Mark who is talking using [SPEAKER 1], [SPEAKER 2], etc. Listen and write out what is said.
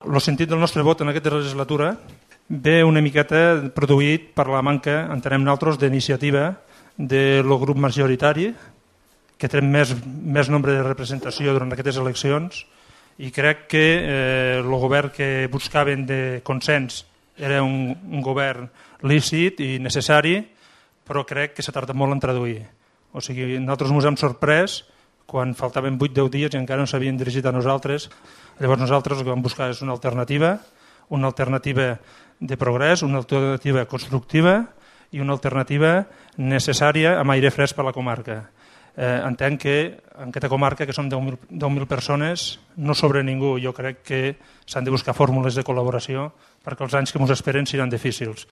[SPEAKER 1] El sentit del nostre vot en aquesta legislatura ve una miqueta produït per la manca, entenem nosaltres, d'iniciativa del grup majoritari, que té més nombre de representació durant aquestes eleccions, i crec que el govern que buscaven de consens era un govern lícit i necessari, però crec que s'ha tardat molt en traduir. O sigui, nosaltres ens hem sorprès quan faltaven 8-10 dies i encara no s'havien dirigit a nosaltres. Llavors nosaltres el que vam buscar és una alternativa de progrés, una alternativa constructiva i una alternativa necessària amb aire fresc per a la comarca. Entenc que en aquesta comarca, que som 10.000 persones, no sobra ningú. Jo crec que s'han de buscar fórmules de col·laboració perquè els anys que ens esperen seran difícils.